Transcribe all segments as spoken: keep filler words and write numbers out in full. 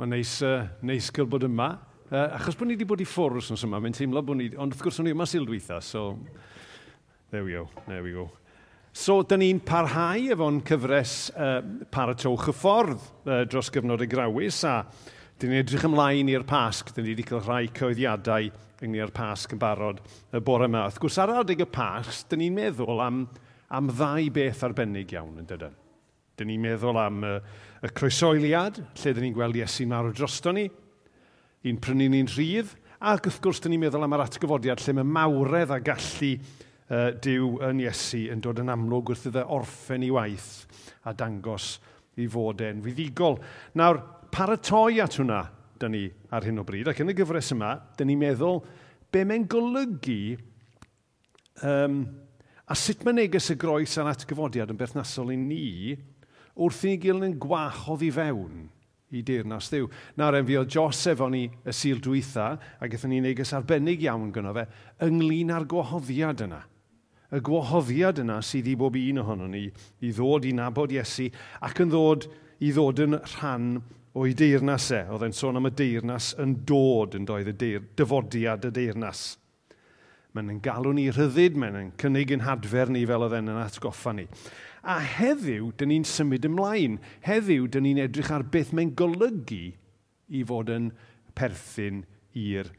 Mae'n neis, uh, neis cael bod yma. Uh, achos bod ni wedi bod i ffwrdd wythnos yma, mae'n teimlo bod ni... Ond wrth gwrs o'n i yma Sul dwytha, so... There we go, there we go. So, dyn ni'n parhau efo'n cyfres uh, Paratowch y Ffordd uh, dros gyfnod y Grawys, a dyn ni'n edrych ymlaen i'r Pasg. Dyn ni wedi cael rhai cyhoeddiadau ynglyn â'r Pasg yn barod y bore yma. Wrth gwrs, ar adeg y Pasg, dyn ni'n meddwl am, am ddau beth arbennig iawn, yn dydyn. Dyn ni'n meddwl am y, y croesoeliad, lle dyn ni'n gweld Iesu'n marw drosto ni, i'n prynu ni'n rhydd, ac wrth gwrs dyn ni'n meddwl am yr atgyfodiad lle mae mawredd a gallu uh, Duw yn Iesu yn dod yn amlwg wrth iddo orffen ei waith a dangos ei fod e'n fuddugol. Nawr, paratoi at hwnna, dyn ni ar hyn o bryd, ac yn y gyfres yma, dyn ni'n meddwl be mae'n golygu um, a sut mae neges y groes a'r atgyfodiad yn berthnasol i ni wrth i ni gael yn gwahodd i fewn i deyrnas Dduw. Nawr, en fi oedd Jos efo ni y Sul dwytha, a gaethon ni neges arbennig iawn gynno fe, ynglyn â'r gwahoddiad yna. Y gwahoddiad yna sydd i bob un ohonon ni i ddod i nabod Iesu ac yn ddod i ddod yn rhan o'i deyrnas e. Oedd e'n sôn am y deyrnas yn dod yn doedd, y deir, dyfodiad y deyrnas. Mae'n yn galw ni rhyddid, mae'n yn cynnig yn hadfer ni fel oedd e'n yn atgoffa ni. A heddiw, dyn ni'n symud ymlaen. Heddiw, dyn ni'n edrych ar beth mae'n golygu i fod yn perthyn i'r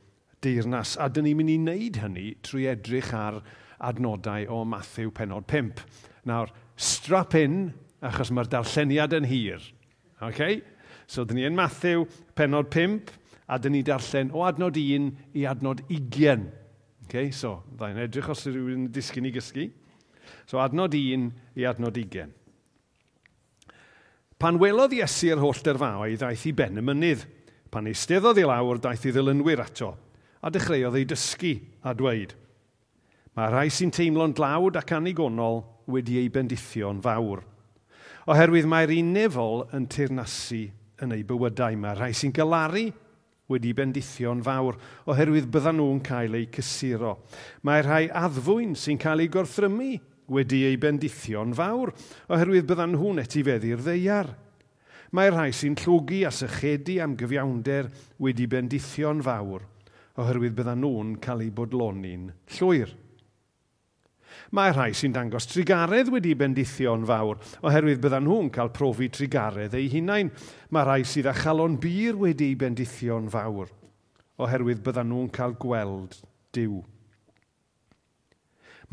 deyrnas. A dyn ni'n mynd i wneud hynny trwy edrych ar adnodau o Mathew pennod pump. Nawr, strap in, achos mae'r darlleniad yn hir. Okay? So, dyn ni yn Mathew pennod pump, a dyn ni darllen o adnod un i adnod ugain. Okay? So, ddau'n edrych os yw rhywun yn disgyn i gysgu. So, adnod un i adnod ugain. Pan welodd Iesu'r holl dyrfaoedd, aeth i ben y mynydd. Pan eisteddodd i lawr, daeth ei ddilynwyr ato, a dechreuodd ei dysgu a dweud, mae rhai sy'n teimlo'n dlawd ac annigonol wedi eu bendithio'n fawr. Oherwydd mae'r un nefol yn teyrnasu yn eu bywydau. Mae rhai sy'n galaru wedi bendithio'n fawr, oherwydd byddan nhw'n cael eu cysuro. Mae rhai addfwyn sy'n cael eu gorthrymu wedi eu bendithio'n fawr, oherwydd byddan nhw'n etifeddu'r ddaear. Mae rhai sy'n llwgu a sychedu am gyfiawnder wedi bendithio'n fawr, oherwydd byddan nhw'n cael eu bodloni'n llwyr. Mae rhai sy'n dangos trugaredd wedi bendithio'n fawr, oherwydd byddan nhw'n cael profi trugaredd eu hunain. Mae rhai sydd â chalon bur wedi bendithio'n fawr, oherwydd byddan nhw'n cael gweld Duw.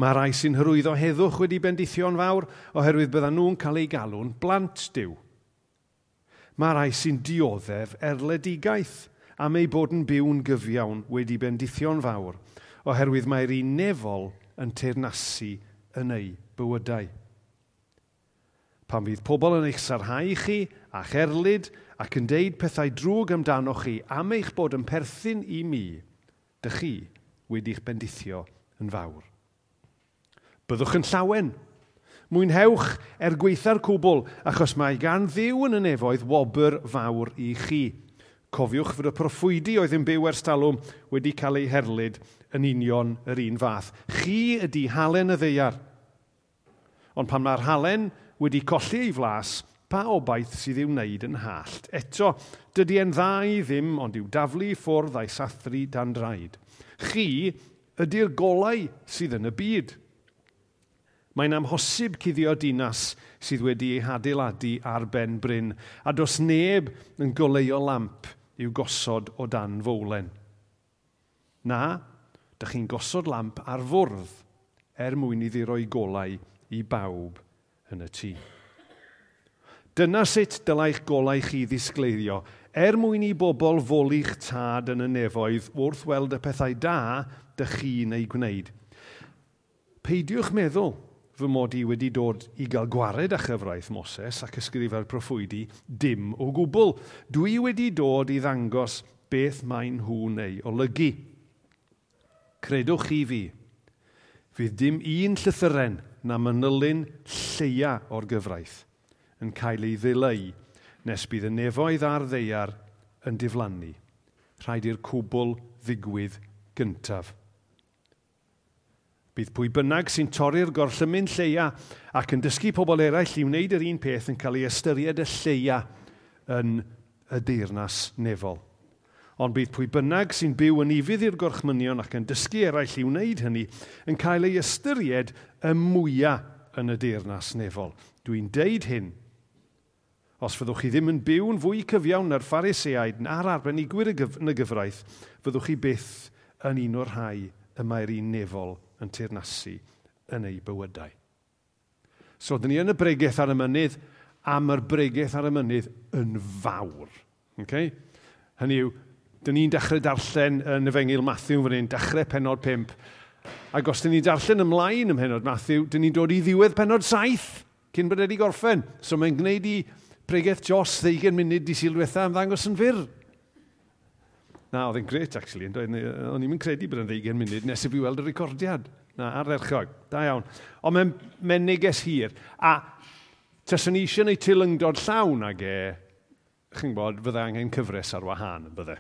Mae rhai sy'n hyrwyddo heddwch wedi bendithio'n fawr, oherwydd byddan nhw'n cael eu galw'n blant Duw. Mae rhai sy'n dioddef erledigaeth am eu bod yn byw'n gyfiawn wedi bendithio'n fawr, oherwydd mae'r un nefol yn teyrnasu yn eu bywydau. Pan fydd pobl yn eich sarhau chi a'ch erlid ac yn deud pethau drwg amdanoch chi am eich bod yn perthyn i mi, dych chi wedi'ch bendithio yn fawr. Byddwch yn llawen. Mwynhewch er gwaetha'r cwbl, achos mae gan Dduw yn y nefoedd wobr fawr i chi. Cofiwch fod y proffwydi oedd yn byw ers talwm wedi cael eu herlid yn union yr un fath. Chi ydy halen y ddaear. Ond pan mae'r halen wedi colli ei flas, pa obaith sydd i'w wneud yn hallt? Eto, dydy e'n dda i ddim ond i'w daflu i ffwrdd a'i sathru dan draed. Chi ydy'r golau sydd yn y byd. Mae'n amhosib cuddio dinas sydd wedi ei hadeiladu ar ben bryn, a does neb yn goleuo lamp i'w gosod o dan fowlen. Na, dych chi'n gosod lamp ar fwrdd er mwyn iddi roi golau i bawb yn y tŷ. Dyna sut dylai'ch golau chi ddisgleirio, er mwyn i bobl foli'ch tad yn y nefoedd wrth weld y pethau da dych chi'n eu gwneud. Peidiwch meddwl fy mod i wedi dod i gael gwared â chyfraith Moses ac ysgrifau'r proffwydi dim o gwbl. Dwi wedi dod i ddangos beth maen nhw'n ei olygu. Credwch chi fi, fydd dim un llythyren na manylyn lleia o'r gyfraith yn cael ei ddileu nes bydd y nefoedd a'r ddaear yn diflannu. Rhaid i'r cwbl ddigwydd gyntaf. Bydd pwy bynnag sy'n torri'r gorllymyn lleia ac yn dysgu pobl eraill i wneud yr un peth yn cael ei ystyried y lleia yn y deyrnas nefol. Ond bydd pwy bynnag sy'n byw yn ufudd i'r gorchmynion ac yn dysgu eraill i wneud hynny yn cael ei ystyried y mwyaf yn y deyrnas nefol. Dwi'n deud hyn. Os fyddwch chi ddim yn byw'n fwy cyfiawn na'r Phariseaid na'r arbenigwyr yn y gyfraith, fyddwch chi byth yn un o'r rhai y mae'r un nefol yn teyrnasu yn eu bywydau. So, dyn ni yn y bregeth ar y mynydd, a mae'r bregeth ar y mynydd yn fawr. Okay? Hynny yw, dyn ni'n dechrau darllen yn Efengyl Matthew fan hyn, dechrau pennod pump. Ac os dyn ni'n darllen ymlaen ym mhennod Matthew, dyn ni'n dod i ddiwedd pennod saith, cyn bod wedi gorffen. So mae'n gwneud i pregeth Jos ddeugain munud dydd Sul diwetha ymddangos yn fyr. Na, oedd e'n grêt, actually. O'n i'n credu bod e'n ddeugain munud nes i fi weld y recordiad. Na, ardderchog. Da iawn. Ond mae'n mae neges hir. A taswn ni eisiau gwneud teilyngdod llawn ag e, chi'n gwybod, fydde angen cyfres ar wahân yn bydde.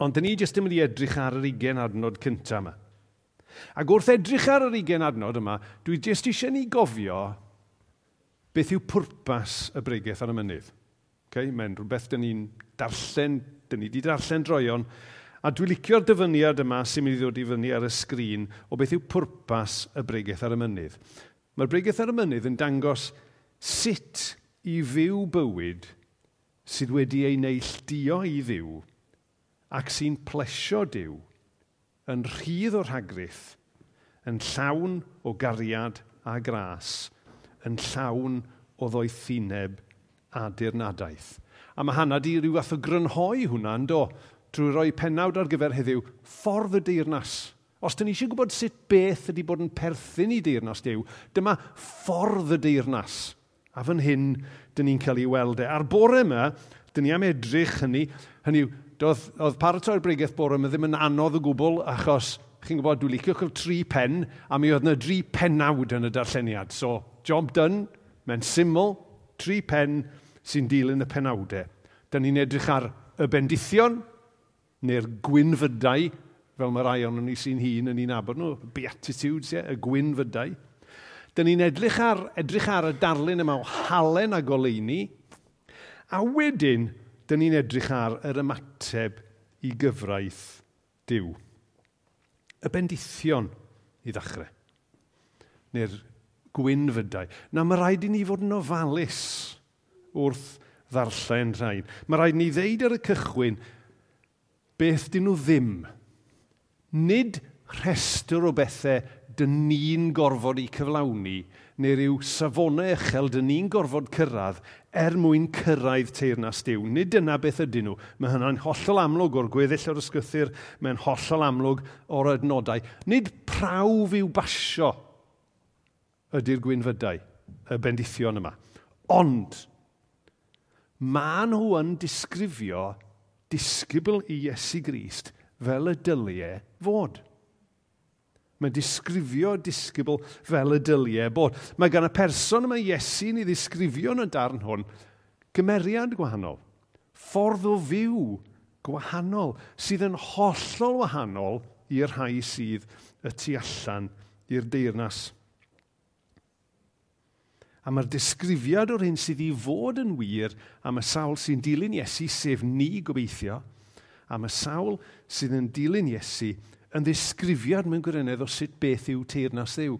Ond dyn ni jyst yn mynd i edrych ar yr ugain adnod cyntaf yma. Ac wrth edrych ar yr ugain adnod yma, dwi jyst eisiau ni gofio beth yw pwrpas y bregeth ar y mynydd. Okay? Mae'n rhywbeth dyn ni'n darllen, dyn ni wedi darllen droeon, a dwi'n licio'r dyfyniad yma sy'n mynd i ddod i fyny ar y sgrin o beth yw pwrpas y bregeth ar y mynydd. Mae'r bregeth ar y mynydd yn dangos sut i fyw bywyd sydd wedi ei neilltuo i Dduw ac sy'n plesio Duw yn rhydd o'r rhagrith, yn llawn o gariad a gras, yn llawn o ddoethineb a dirnadaeth. A mae Hannah di rhyw fath o grynhoi hwnna, yn do, drwy roi pennawd ar gyfer heddiw, ffordd y deyrnas. Os dyn ni eisiau gwybod sut beth ydy bod yn perthyn i deyrnas Duw, dyma ffordd y deyrnas. A fan hyn, dyn ni'n cael ei weld e. A'r bore yma, dyn ni am edrych hynny, hynny yw, doedd, oedd paratoi'r bregeth bore yma ddim yn anodd o gwbl, achos, chi'n gwybod, dwi'n licio cael tri pen, a mi oedd yna dri pennawd yn y darlleniad. So, job done, mae'n syml, tri pen sy'n dilyn y penawdau. Dyn ni'n edrych ar y bendithion, neu'r gwynfydau, fel mae rai ohonon ni sy'n hŷn yn ei nabod nhw, Beatitudes, ie, y gwynfydau. Dyn ni'n edrych ar, edrych ar y darlun yma o halen a goleuni, a wedyn, dyn ni'n edrych ar yr ymateb i gyfraith Duw. Y bendithion i ddechrau, neu'r gwynfydau. Na, mae rhaid i ni fod yn ofalus wrth ddarllen rhain. Mae rhaid i ni ddeud ar y cychwyn beth dyn nhw ddim. Nid rhestr o bethau dyn ni'n gorfod i cyflawni, neu rhyw safonau uchel dyn ni'n gorfod cyrraedd er mwyn cyrraedd teyrnas Duw. Nid dyna beth ydyn nhw. Mae hynna'n hollol amlwg o'r gweddill o'r ysgrythur, mae'n hollol amlwg o'r adnodau. Nid prawf i'w basio ydy'r gwynfydau, y bendithion yma. Ond, maen nhw yn disgrifio disgybl i Iesu Grist fel y dylie fod. Mae'n disgrifio disgybl fel y dylie bod. Mae gan y person yma Iesu'n ei ddisgrifio yn y darn hwn gymeriad gwahanol, ffordd o fyw gwahanol, sydd yn hollol wahanol i'r rhai sydd y tu allan i'r deyrnas. A mae'r disgrifiad o'r hyn sydd i fod yn wir am y sawl sy'n dilyn Iesu, sef ni gobeithio, am y sawl sydd yn dilyn Iesu, yn ddisgrifiad mewn gwirionedd o sut beth yw teyrnas Dduw,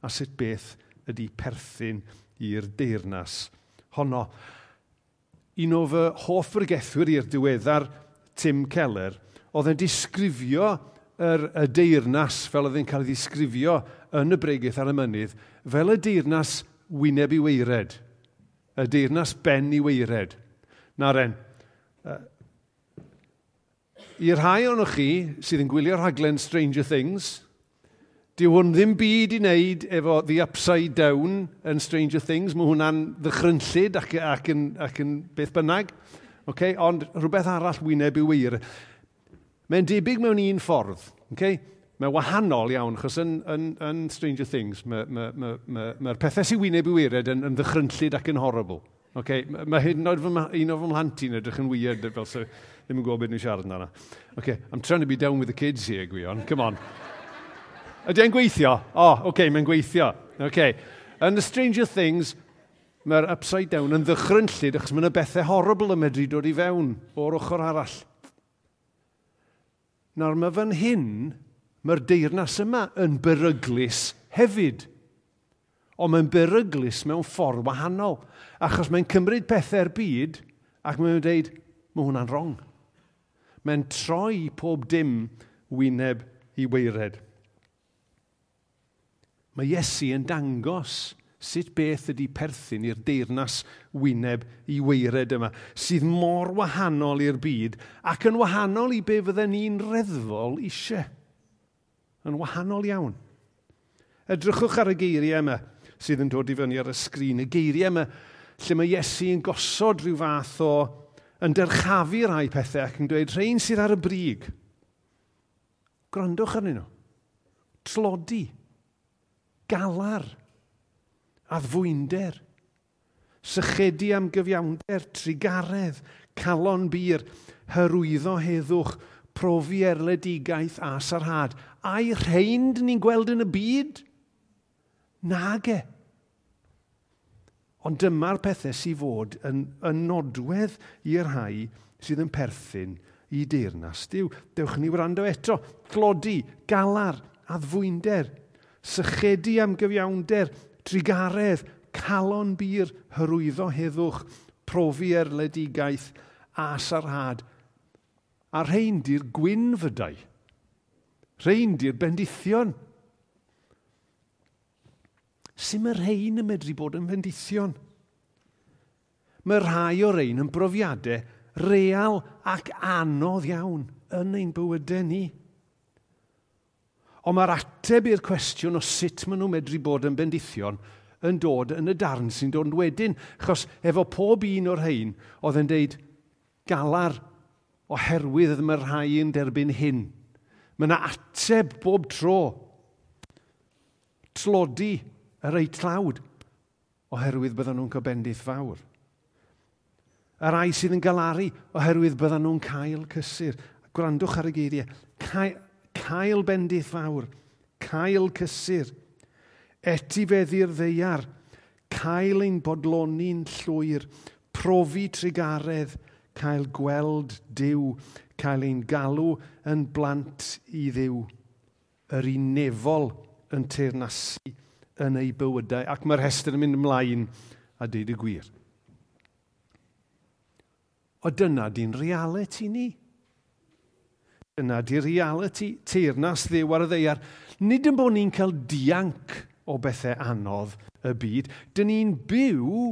a sut beth ydy perthyn i'r deyrnas honno. Un o fy hoff bregethwyr i'r diweddar, Tim Keller, oedd yn disgrifio yr, y deyrnas fel oedd yn cael ei ddisgrifio yn y bregeth ar y mynydd, fel y deyrnas wyneb i waered, y deyrnas ben i waered. Na ren, i'r rhai ohonoch chi sydd yn gwylio rhaglen Stranger Things, dyw hwn ddim byd i wneud efo The Upside Down yn Stranger Things. Mae hwnna'n ddychrynllyd ac, ac, yn, ac yn beth bynnag. Okay? Ond rhywbeth arall wyneb i waered. Mae'n debyg mewn un ffordd. Okay? Mae'n wahanol iawn, achos yn, yn, yn Stranger Things, mae'r ma, ma, ma, ma pethau sy'n wyneb i waered yn, yn ddychrynllyd ac yn horrible. Okay? Mae hyd yn oed fy, un o fy mhlant i'n edrych yn weird, fel so, ddim yn gwybod beth nhw'n siarad amdano. Okay, I'm trying to be down with the kids here, Gwion. Come on. Ydy e'n gweithio? O, oh, okay, mae'n gweithio. Okay. Yn the Stranger Things, Mae'r upside down yn ddychrynllyd achos mae yna bethau horrible yn medru dod i fewn o'r ochr arall. Nawr mae fan hyn, mae'r deyrnas yma yn beryglus hefyd. Ond mae'n beryglus mewn ffordd wahanol, achos mae'n cymryd pethau'r byd ac mae'n dweud, mae hwnna'n wrong. Mae'n troi pob dim wyneb i waered. Mae Iesu yn dangos sut beth ydy perthyn i'r deyrnas wyneb i waered yma, sydd mor wahanol i'r byd ac yn wahanol i be fydden ni'n reddfol eisiau. Yn wahanol iawn. Edrychwch ar y geiriau yma sydd yn dod i fyny ar y sgrin. Y geiriau yma lle mae Iesu yn gosod rhyw fath o yn dyrchafu rhai pethau ac yn dweud rhain sydd ar y brig. Gwrandwch arnyn nhw. Tlodi, galar, addfwynder, sychedu am gyfiawnder, trugaredd, calon bur, hyrwyddo heddwch, profi erledigaeth a sarhad. A'i rhain dyn ni'n gweld yn y byd? Nage. Ond dyma'r pethau sydd fod yn, yn nodwedd i'r rhai sydd yn perthyn i deyrnas Duw. Dewch ni wrando eto. Tlodi, galar, addfwynder, sychedu am gyfiawnder, trugaredd, calon bur, hyrwyddo heddwch, profi erledigaeth a sarhad. A rhain di'r gwynfydau. Rhain di'r bendithion. Sut mae rhain yn medru bod yn bendithion? Mae rhai o'r rhain yn brofiadau real ac anodd iawn yn ein bywydau ni. Ond mae'r ateb i'r cwestiwn o sut maen nhw'n medru bod yn bendithion yn dod yn y darn sy'n dod wedyn. Achos efo pob un o'r rhain oedd yn deud galar oherwydd mae rhai yn derbyn hyn. Mae yna ateb bob tro. Tlodi y rei tlawd oherwydd byddan nhw'n cael bendith fawr. Y rai sydd yn galaru oherwydd byddan nhw'n cael cysur. Gwrandwch ar y geiriau. Cael, cael bendith fawr, cael cysur, etifeddu'r ddaear, cael ein bodloni'n llwyr, profi trugaredd, cael gweld Duw, cael ein galw yn blant i Dduw, yr un nefol yn teyrnasu yn ei bywydau. Ac mae'r rhestr yn mynd ymlaen a deud y gwir. O dyna di'n reality ni. Dyna di'r reality teyrnas Dduw ar y ddaear. Nid yn bod ni'n cael dianc o bethau anodd y byd. Dyn ni'n byw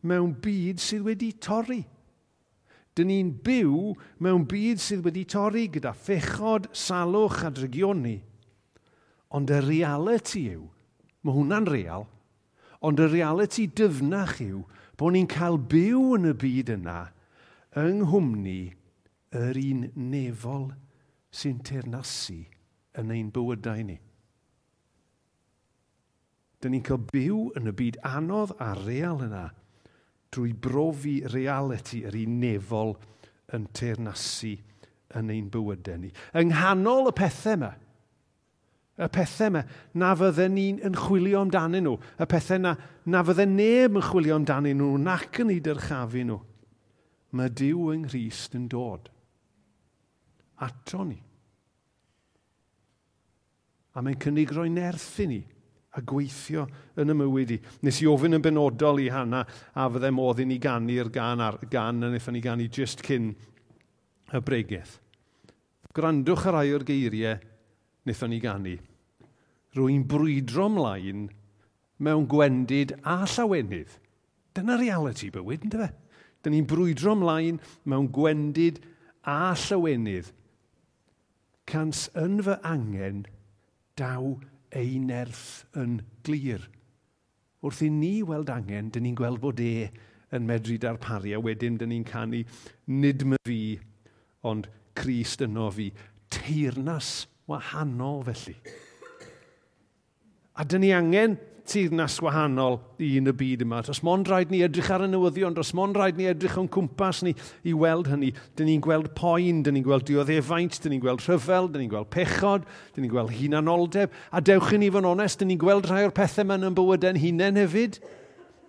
mewn byd sydd wedi torri. Dyn ni'n byw mewn byd sydd wedi torri gyda phechod, salwch a drygioni. Ond y reality yw, mae hwnna'n real, ond y reality dyfnach yw bod ni'n cael byw yn y byd yna yng nghwmni yr un nefol sy'n teyrnasu yn ein bywydau ni. Dyn ni'n cael byw yn y byd anodd a real yna drwy brofi reality yr un nefol yn teyrnasu yn ein bywydau ni. Yng nghanol y pethau yma, y pethau yma na fydden ni'n yn chwilio amdanyn nhw, y pethau na, na fydden neb yn chwilio amdanyn nhw nac yn eu dyrchafu nhw, mae Duw yng Nghrist yn dod ato ni. A mae'n cynnig rhoi nerth i ni a gweithio yn y mywyd i. Nes i ofyn yn benodol i Hannah a fydde modd i ni ganu'r gan, ar, gan a wnaethon ni ganu just cyn y bregeth. Gwrandwch ar rai o'r geiriau wnaethon ni ganu. Rwy'n brwydro ymlaen mewn gwendid a llawenydd. Dyna reality bywyd, ynddo fe? Dyn ni'n brwydro ymlaen mewn gwendid a llawenydd. Cans yn fy angen daw ei nerth yn glir. Wrth i ni weld angen, dyn ni'n gweld bod e yn medru darparu, a wedyn dyn ni'n canu nid my fi, ond Crist yno fi. Teyrnas wahanol felly. A dyn ni angen teyrnas wahanol i yn y byd yma. Does mond rhaid ni edrych ar y newyddion, does mond rhaid ni edrych o'n cwmpas ni i weld hynny. Dyn ni'n gweld poen, dyn ni'n gweld dioddefaint, dyn ni'n gweld rhyfel, dyn ni'n gweld pechod, dyn ni'n gweld hunanoldeb. A dewch i ni fod yn onest, dyn ni'n gweld rhai o'r pethau yma yn bywydau'n hunain hefyd.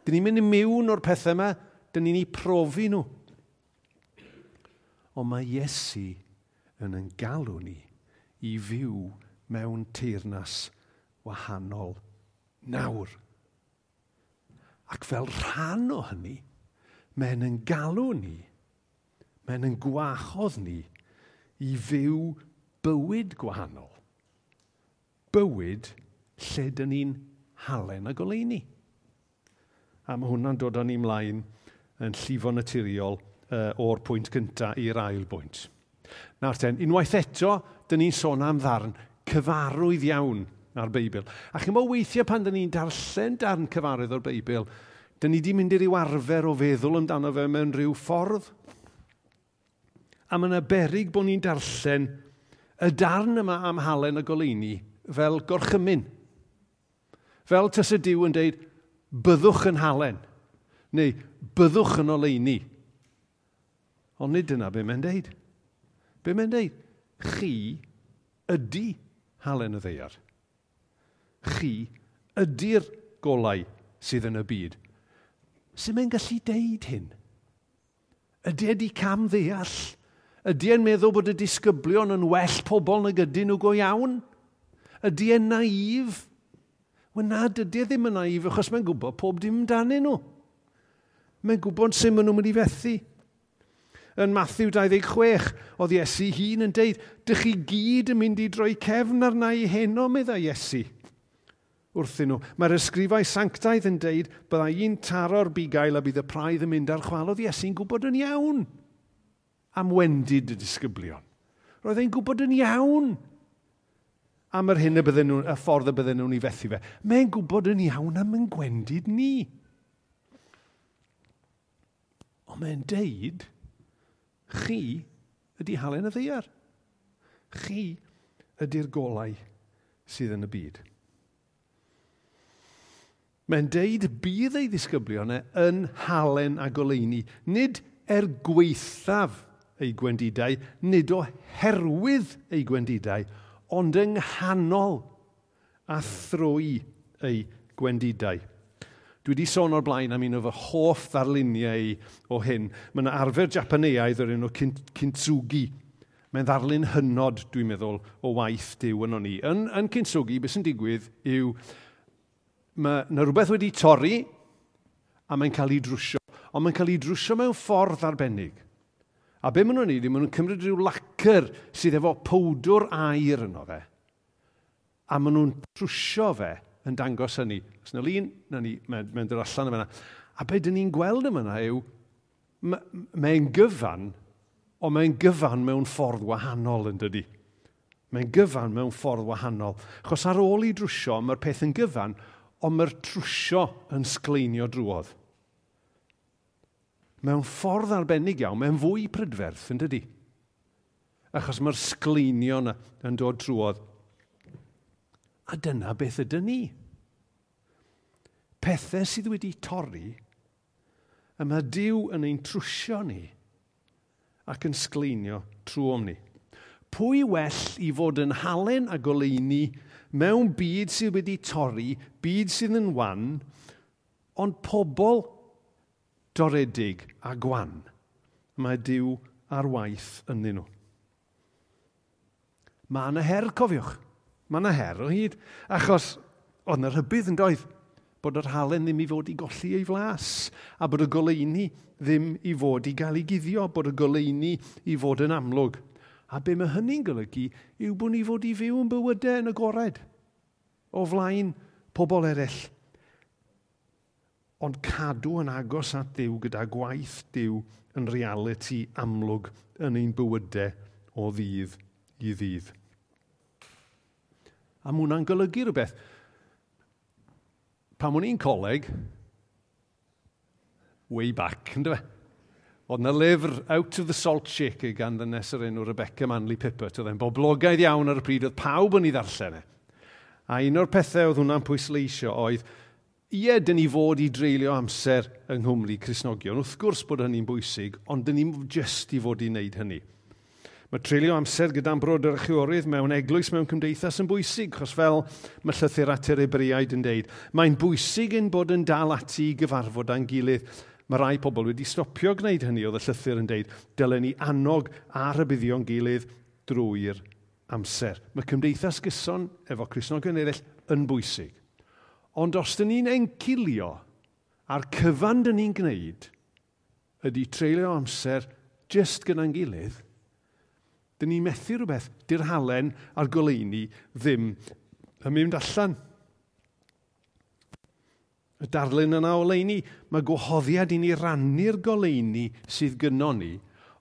Dyn ni'n mynd i mewn o'r pethau yma, dyn ni'n eu profi nhw. Ond mae Iesu yn yn galw ni i fyw mewn teyrnas wahanol nawr. Ac fel rhan o hynny, mae'n yn galw ni, mae'n yn gwahodd ni i fyw bywyd gwahanol. Bywyd lle dyn ni'n halen a goleuni. A mae hwnna'n dod â ni mlaen yn llifo naturiol uh, o'r pwynt cyntaf i'r ail bwynt. Nawr ten, unwaith eto, dyn ni'n sôn am ddarn cyfarwydd iawn ar Beibl. A chi'n bod weithiau pan dyn ni'n darllen darn cyfarwydd o'r Beibl, dyn ni di mynd i ryw arfer o feddwl amdano fe mewn rhyw ffordd. A mae yna beryg bod ni'n darllen y darn yma am halen y goleuni fel gorchymyn. Fel tysa Duw yn deud, byddwch yn halen, neu byddwch yn oleuni. Ond nid dyna be mae'n deud. Be mae'n deud? Chi ydy halen y ddaear. Chi ydy'r golau sydd yn y byd. Sut mae'n gallu deud hyn? Ydy e di cam ddeall? Ydy e'n meddwl bod y disgyblion yn well pobl nag ydyn nhw go iawn? Ydy e'n naif? Wel na, dydy e ddim yn naif achos mae'n gwybod pob dim amdanyn nhw. Mae'n gwybod sut maen nhw'n mynd i fethu. Yn Matthew dau ddeg chwech, oedd Iesu hun yn deud, dych chi gyd yn mynd i droi cefn arna i heno, meddai Iesu wrthyn nhw. Mae'r ysgrifau sanctaidd yn deud, bydda i'n taro'r bugail a bydd y praidd yn mynd ar chwal. Oedd Iesu'n gwybod yn iawn am wendid y disgyblion. Roedd e'n gwybod yn iawn am yr hyn y bydden nhw, y ffordd y bydden nhw'n ei fethu fe. Mae'n gwybod yn iawn am yn gwendid ni. Ond mae'n deud, chi ydy halen y ddaear. Chi ydy'r golau sydd yn y byd. Mae'n deud bydd ei ddisgyblion e yn halen a goleuni, nid er gwaethaf ei gwendidau, nid oherwydd ei gwendidau, ond yng nghanol a thrwy ei gwendidau. Dwi wedi sôn o'r blaen am un o fy hoff ddarluniau o hyn. Mae yna arfer Japaneaidd o'r enw kintsugi. Mae'n ddarlun hynod, dwi'n meddwl, o waith Duw yno ni. Yn, yn kintsugi, beth sy'n digwydd yw mae yna rhywbeth wedi torri a mae'n cael ei drwsio. Ond mae'n cael ei drwsio mewn ffordd arbennig. A be maen nhw'n neud, maen nhw'n cymryd rhyw lacr sydd efo powdwr aur yno fe. A maen nhw'n trwsio fe yn dangos hynny. Os yna lun, na ni, mae'n mae dod allan yma. A be dyn ni'n gweld yma yw, mae'n gyfan, ond mae'n gyfan mewn ffordd wahanol yn dydi. Mae'n gyfan mewn ffordd wahanol. Achos ar ôl i drwsio, mae'r peth yn gyfan, ond mae'r trwsio yn sgleinio drwodd. Mewn ffordd arbennig iawn, mae'n fwy prydferth yn dydi. Achos mae'r sgleinio yna yn dod drwodd. A dyna beth ydyn ni. Pethau sydd wedi torri, y mae Duw yn ein trwsio ni ac yn sgleinio trwom ni. Pwy well i fod yn halen a goleuni mewn byd sydd wedi torri, byd sydd yn wan, ond pobl doredig a gwan. Mae Duw ar waith ynddyn nhw. Mae yna her, cofiwch. Mae yna her o hyd. Achos oedd yna rhybudd yn doedd bod yr halen ddim i fod i golli ei flas, a bod y goleuni ddim i fod i gael ei guddio, bod y goleuni i fod yn amlwg. A be mae hynny'n golygu yw bod ni fod i fyw yn bywydau yn agored, o flaen pobl eraill. Ond cadw yn agos at Dduw gyda gwaith Duw yn realiti amlwg yn ein bywydau o ddydd i ddydd. A mae hwnna'n golygu rhywbeth. Pan o'n i'n coleg, way back, ynddo fe? Oedd yna lyfr Out of the Salt Shaker gan ddynes o'r enw Rebecca Manley Pippert. Oedd e'n boblogaidd iawn ar y pryd, oedd pawb yn ei ddarllen e. A un o'r pethau oedd hwnna'n pwysleisio oedd, ie, dyn ni fod i dreulio amser yng Nghymru Cristnogion. Wrth gwrs bod hynny'n bwysig, ond dyn ni'n jyst i fod i wneud hynny. Mae treulio amser gyda'n brodyr a chwiorydd mewn eglwys mewn cymdeithas yn bwysig, chos fel mae llythyr at yr Hebreaid yn deud, mae'n bwysig ein bod yn dal ati i gyfarfod â'n gilydd. Mae rai pobl wedi stopio gwneud hynny, oedd y llythyr yn deud, dylen ni annog a rhybuddio'n gilydd drwy'r amser. Mae cymdeithas gyson efo Cristnogion eraill yn bwysig. Ond os dyn ni'n encilio a'r cyfan dyn ni'n gwneud ydy treulio amser jyst gyda'n gilydd, dyn ni'n methu rhywbeth, di'r halen a'r goleuni ddim yn mynd allan. Y darlun yna o oleuni, mae gwahoddiad i ni rannu'r goleuni sydd gynnon ni,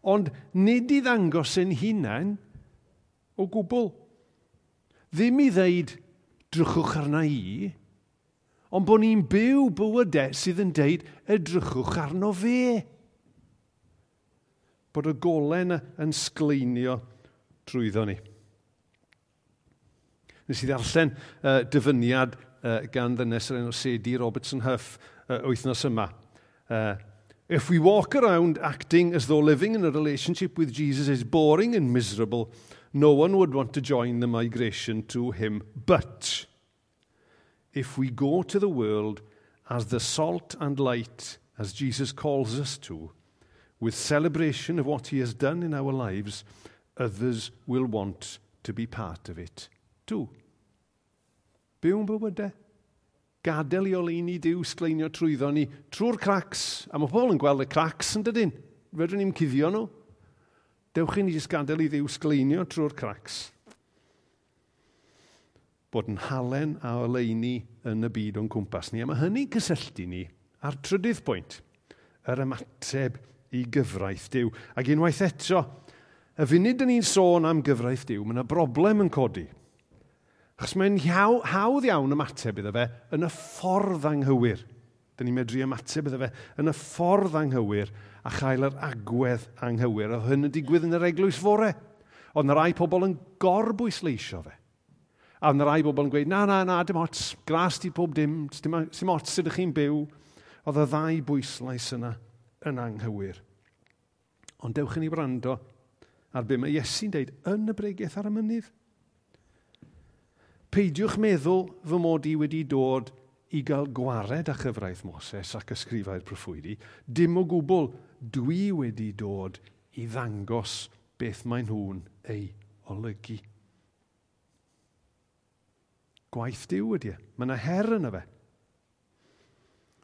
ond nid i ddangos ein hunain o gwbl. Ddim i ddeud, drychwch arna i, ond bod ni'n byw bywydau sydd yn deud, edrychwch arno fe. Bod y golau yna yn sgleinio trwyddo ni. Nes i ddarllen uh, dyfyniad uh, gan ddynes o'r enw Sadie Robertson Huff uh, wythnos yma. Uh, If we walk around acting as though living in a relationship with Jesus is boring and miserable, no one would want to join the migration to him. But if we go to the world as the salt and light, as Jesus calls us to, with celebration of what he has done in our lives, others will want to be part of it too. Byw'n bywydau. Gadael i oleuni Duw sgleinio trwyddo ni trwy'r cracks. A mae pobl yn gweld y cracks yn dydyn. Fedrwn ni'n cuddio nhw. Dewch i ni jyst gadael i Dduw sgleinio trwy'r cracks. Bod yn halen a oleuni yn y byd o'n cwmpas ni. A mae hynny'n cysylltu ni ar trydydd pwynt, yr ymateb i gyfraith Duw. Ac unwaith eto, y funud dyn ni'n sôn am gyfraith Duw, mae yna broblem yn codi. Achos mae'n hawdd iawn ymateb iddo fe yn y ffordd anghywir. Dyn ni'n medru ymateb iddo fe yn y ffordd anghywir a chael yr agwedd anghywir. Oedd hyn yn digwydd yn yr eglwys fore. Oedd yna rai pobl yn gorbwysleisio fe. A oedd yna rai bobl yn gweud, na, na, na, dim ots, gras di pob dim, dim, dim ots sut ydych chi'n byw. Oedd y ddau bwyslais yna yn anghywir. Ond dewch i ni wrando ar be mae Iesu'n deud yn y bregeth ar y mynydd. Peidiwch meddwl fy mod i wedi dod i gael gwared â chyfraith Moses ac ysgrifau'r proffwydi. Dim o gwbl, dwi wedi dod i ddangos beth maen nhw'n ei olygu. Gwaith Duw ydy e. Mae yna her yna fe.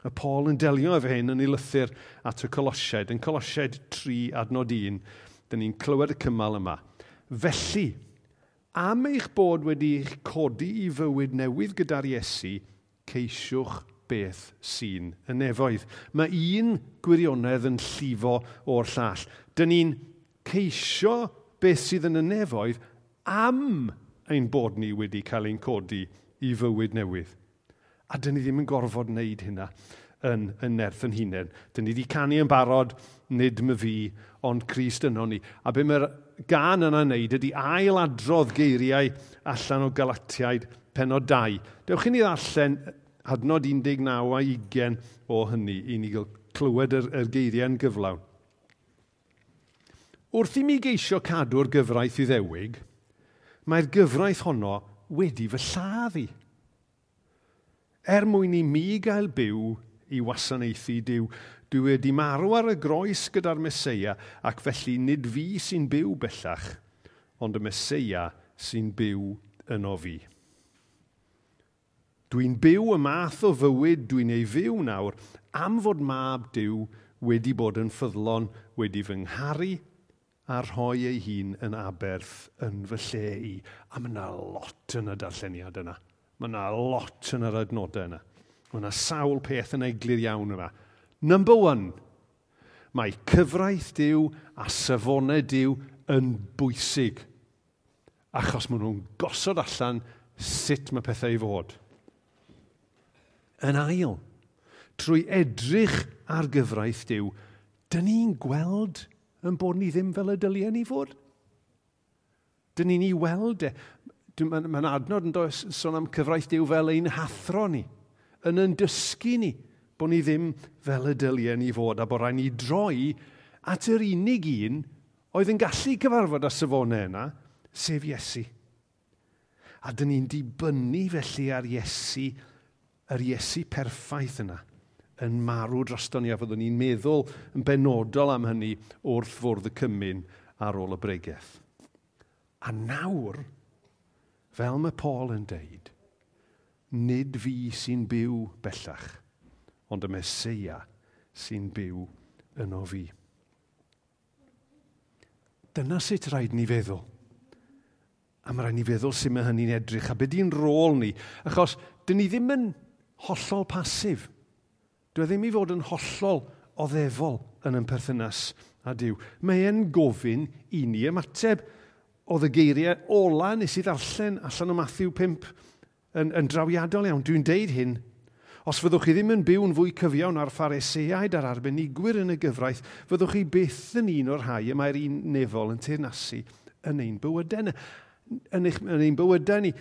Y Paul yn delio efo hyn yn ei lythyr at y Colosiaid. Yn Colosiaid tri adnod un, dyn ni'n clywed y cymal yma. Felly, am eich bod wedi eich codi i fywyd newydd gyda'r Iesu, ceisiwch beth sy'n y nefoedd. Mae un gwirionedd yn llifo o'r llall. Dyn ni'n ceisio beth sydd yn y nefoedd am ein bod ni wedi cael ein codi i fywyd newydd. A dyn ni ddim yn gorfod wneud hynna yn, yn nerth yn hunain. Dyn ni wedi canu yn barod, nid my fi, ond Crist yno ni. A be mae'r gan yna'n wneud ydy ailadrodd geiriau allan o Galatiaid pennod dau. Dewch i ni ddarllen adnod un deg naw a ugain o hynny i ni gael clywed yr, yr geiriau'n gyflawn. Wrth i mi geisio cadw'r gyfraith Iddewig, mae'r gyfraith honno wedi fy lladd i. Er mwyn i mi gael byw i wasanaethu Duw, dwi wedi marw ar y groes gyda'r Meseia, ac felly nid fi sy'n byw bellach, ond y Meseia sy'n byw yno fi. Dwi'n byw y math o fywyd dwi'n ei fyw nawr am fod mab Duw wedi bod yn ffyddlon, wedi fy ngharu a rhoi ei hun yn aberth yn fy lle i. A mae yna lot yn y darlleniad yna. Mae yna lot yn yr adnodau yna. Mae yna sawl peth yn eglur iawn yma. Number one, mae cyfraith Duw a safonau Duw yn bwysig, achos maen nhw'n gosod allan sut mae pethau i fod. Yn ail, trwy edrych ar gyfraith Duw, dyn ni'n gweld yn bod ni ddim fel y dylien ni fod. Dyn ni'n ei weld e. Mae'n ma adnod yn does sôn am cyfraith Duw fel ein hathro ni, yn yn dysgu ni bod ni ddim fel y dylien ni fod, a bod rhaid ni droi at yr unig un oedd yn gallu cyfarfod â safonau yna, sef Iesu. A dyn ni'n dibynnu felly ar Iesu, yr Iesu perffaith yna, yn marw droston ni, a fyddwn ni'n meddwl yn benodol am hynny wrth fwrdd y cymun ar ôl y bregeth. A nawr, fel mae Paul yn deud, nid fi sy'n byw bellach, ond y Meseia sy'n byw yno fi. Dyna sut rhaid ni feddwl. A mae rhaid ni feddwl sut mae hynny'n edrych a be di'n rôl ni. Achos dyn ni ddim yn hollol pasif. Dwi ddim i fod yn hollol oddefol yn ein perthynas â Duw. Mae e'n gofyn i ni ymateb. Oedd y geiriau ola nes i ddarllen allan o Matthew pump yn, yn drawiadol iawn. Dwi'n deud hyn. Os fyddwch chi ddim yn byw'n fwy cyfiawn ar Phariseaid a'r arbenigwyr yn y gyfraith, fyddwch chi byth yn un o'r rhai y mae'r un nefol yn teyrnasu yn ein bywydau, yn, eich, yn ein bywydau ni.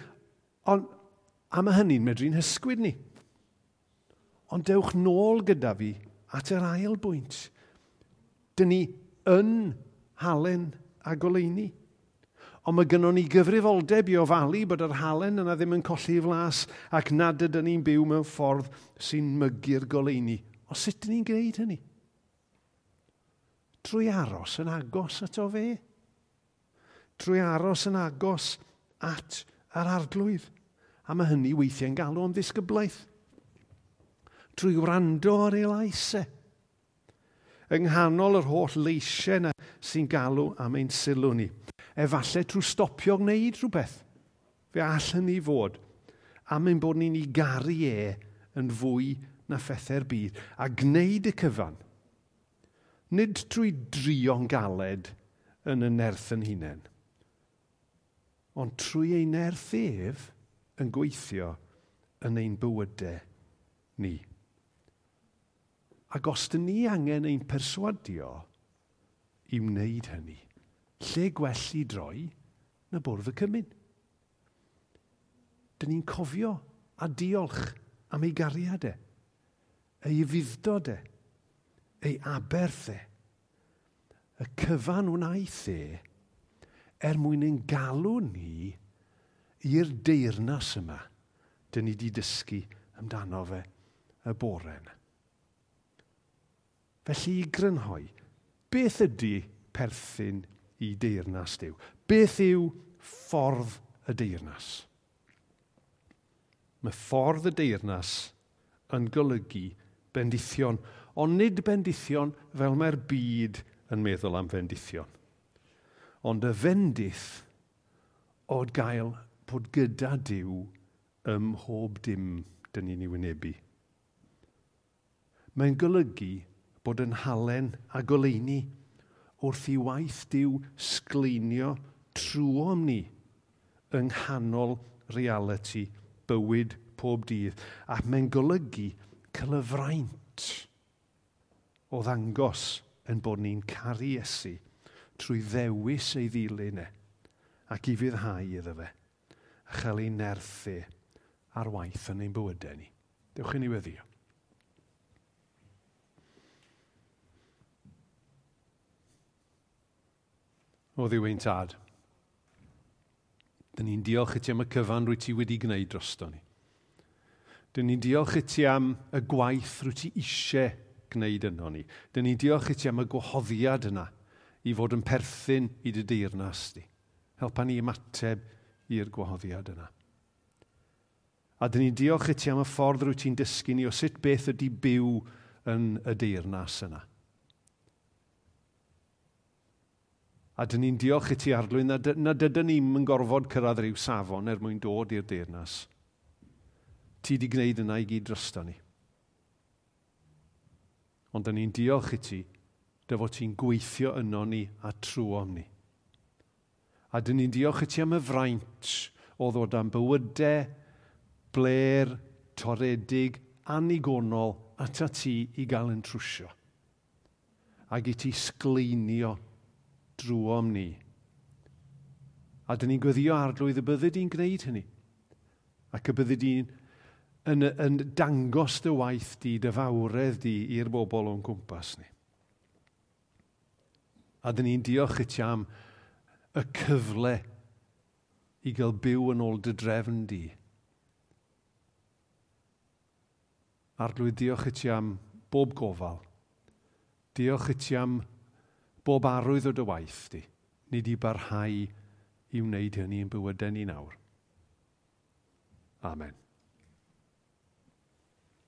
Ond, a mae hynny'n medru'n hysgwyd ni. Ond dewch nôl gyda fi at yr ail bwynt. Dyn ni yn halen a goleuni. Ond mae gynnon ni gyfrifoldeb i ofalu bod yr halen yna ddim yn colli flas ac nad ydyn ni'n byw mewn ffordd sy'n mygu'r goleuni. O sut dyn ni'n gwneud hynny? Trwy aros yn agos ato fe. Trwy aros yn agos at yr arglwydd. A mae hynny weithiau'n galw am ddisgyblaeth. Trwy wrando ar ei lais e. Yng nghanol yr holl leisiau yna sy'n galw am ein sylw ni. Efallai trwy stopio gwneud rhywbeth. Fe all hynny fod am ein bod ni'n ei garu e yn fwy na phethau'r byd. A gwneud y cyfan. Nid trwy drio'n galed yn y nerth yn hunain, ond trwy ei nerth ef yn gweithio yn ein bywydau ni. Ac os dyn ni angen ein perswadio i wneud hynny, lle gwell i droi na bwrdd y cymun. Dyn ni'n cofio a diolch am ei gariad e, ei ufudd-dod e, ei aberth e, y cyfan wnaeth e er mwyn ein galw ni i'r deyrnas yma dyn ni wedi dysgu amdano fe y bore yna. Felly i grynhoi, beth ydy perthyn i deyrnas Duw? Beth yw ffordd y deyrnas? Mae ffordd y deyrnas yn golygu bendithion, ond nid bendithion fel mae'r byd yn meddwl am fendithion. Ond y fendith o gael bod gyda Duw ym mhob dim dyn ni'n ei wynebu. Mae'n golygu bod yn halen a goleuni wrth i waith Duw sgleinio trwom ni yng nghanol realiti bywyd pob dydd. A mae'n golygu cael y fraint o ddangos yn bod ni'n caru Iesu trwy ddewis ei ddilyn e ac i fuddhau iddo fe a chael ei nerthu ar waith yn ein bywydau ni. Dewch i ni weddïo. O Dduw ein Tad, dyn ni'n diolch i ti am y cyfan rwyt ti wedi gwneud drosto ni. Dyn ni'n diolch i ti am y gwaith rwyt ti eisiau gwneud yno ni. Dyn ni'n diolch i ti am y gwahoddiad yna i fod yn perthyn i dy deyrnas di. Helpa ni ymateb i'r gwahoddiad yna. A dyn ni'n diolch i ti am y ffordd rwyt ti'n dysgu ni o sut beth ydy byw yn y deyrnas yna. A dyn ni'n diolch i ti, Arglwydd, nad, nad ydyn ni'n yn gorfod cyrraedd rhyw safon er mwyn dod i'r deyrnas. Ti di gwneud yna i gyd drosto ni. Ond dyn ni'n diolch i ti, dy fod ti'n gweithio yno ni a trwom ni. A dyn ni'n diolch i ti am y fraint o ddod am bywydau, bler, toredig, annigonol ata ti i gael yn trwsio. Ac i ti sgleinio drwom ni. A dyn ni'n gweddio, Arglwydd, y byddi di'n gwneud hynny. Ac y byddi di'n yn, yn dangos dy waith di, dy fawredd di i'r bobl o'n cwmpas ni. A dyn ni'n diolch i ti am y cyfle i gael byw yn ôl dy drefn di. Arglwydd, diolch i ti am bob gofal. Diolch i ti am bob arwydd o dy waith di. Ni di barhau i wneud hynny yn bywydau ni nawr. Amen.